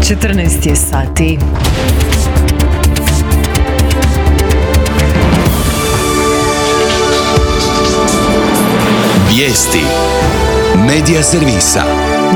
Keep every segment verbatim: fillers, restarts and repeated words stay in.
četrnaest je sati. Vijesti Medija servisa.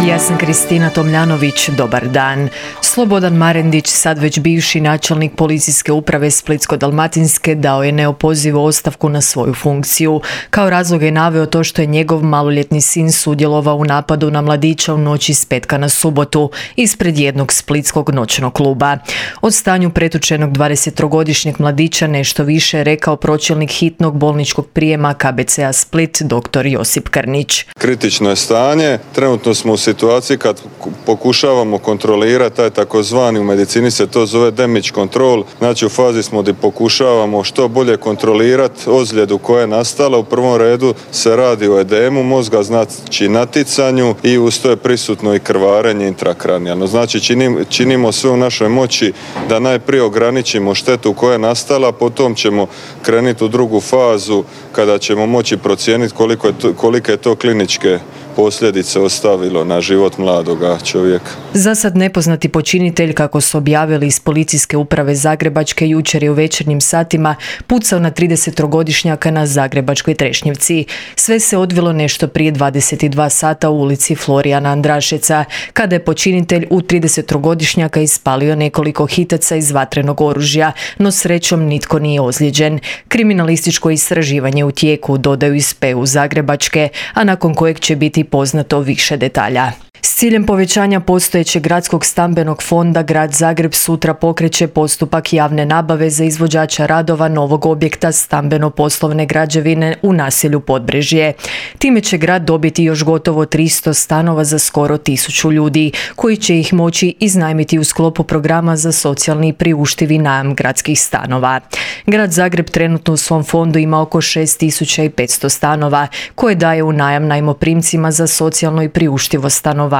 Ja sam Kristina Tomljanović, dobar dan. Slobodan Marendić, sad već bivši načelnik policijske uprave Splitsko-dalmatinske, dao je neopozivu ostavku na svoju funkciju. Kao razlog je naveo to što je njegov maloljetni sin sudjelovao u napadu na mladića u noći s petka na subotu ispred jednog splitskog noćnog kluba. O stanju pretučenog dvadesettrogodišnjeg mladića nešto više je rekao pročelnik hitnog bolničkog prijema K B C-a Split, dr. Josip Krnić. Kritično je stanje, trenutno smo u situaciji kad pokušavamo kontrolirati taj takozvani, u medicini se to zove damage control, znači u fazi smo gdje pokušavamo što bolje kontrolirati ozljedu koja je nastala. U prvom redu se radi o edemu mozga, znači naticanju, i uz to je prisutno i krvarenje intrakranijalno. Znači činim, činimo sve u našoj moći da najprije ograničimo štetu koja je nastala, potom ćemo krenuti u drugu fazu kada ćemo moći procijeniti koliko je to, kolike je to kliničke posljedice ostavilo na život mladoga čovjeka. Za sad nepoznati počinitelj, kako su objavili iz policijske uprave Zagrebačke, jučer je u večernjim satima pucao na tridesettrogodišnjaka na zagrebačkoj Trešnjevci. Sve se odvilo nešto prije dvadeset dva sata u ulici Florijana Andrašeca, kada je počinitelj u tridesettrogodišnjaka ispalio nekoliko hitaca iz vatrenog oružja, no srećom nitko nije ozlijeđen. Kriminalističko istraživanje u tijeku, dodaju iz P U Zagrebačke, a nakon kojeg će biti poznato više detalja. S ciljem povećanja postojećeg gradskog stambenog fonda, Grad Zagreb sutra pokreće postupak javne nabave za izvođača radova novog objekta stambeno-poslovne građevine u naselju Podbrežje. Time će grad dobiti još gotovo tristo stanova za skoro tisuću ljudi, koji će ih moći iznajmiti u sklopu programa za socijalni i priuštivi najam gradskih stanova. Grad Zagreb trenutno u svom fondu ima oko šest tisuća petsto stanova, koje daje u najam najmoprimcima za socijalno i priuštivo stanovanje.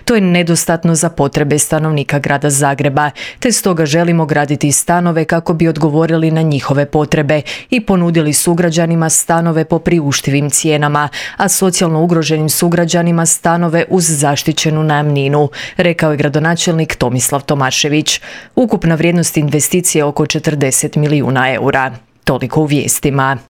To je nedostatno za potrebe stanovnika Grada Zagreba, te stoga želimo graditi stanove kako bi odgovorili na njihove potrebe i ponudili sugrađanima stanove po priuštivim cijenama, a socijalno ugroženim sugrađanima stanove uz zaštićenu najamninu, rekao je gradonačelnik Tomislav Tomašević. Ukupna vrijednost investicije je oko četrdeset milijuna eura. Toliko u vijestima.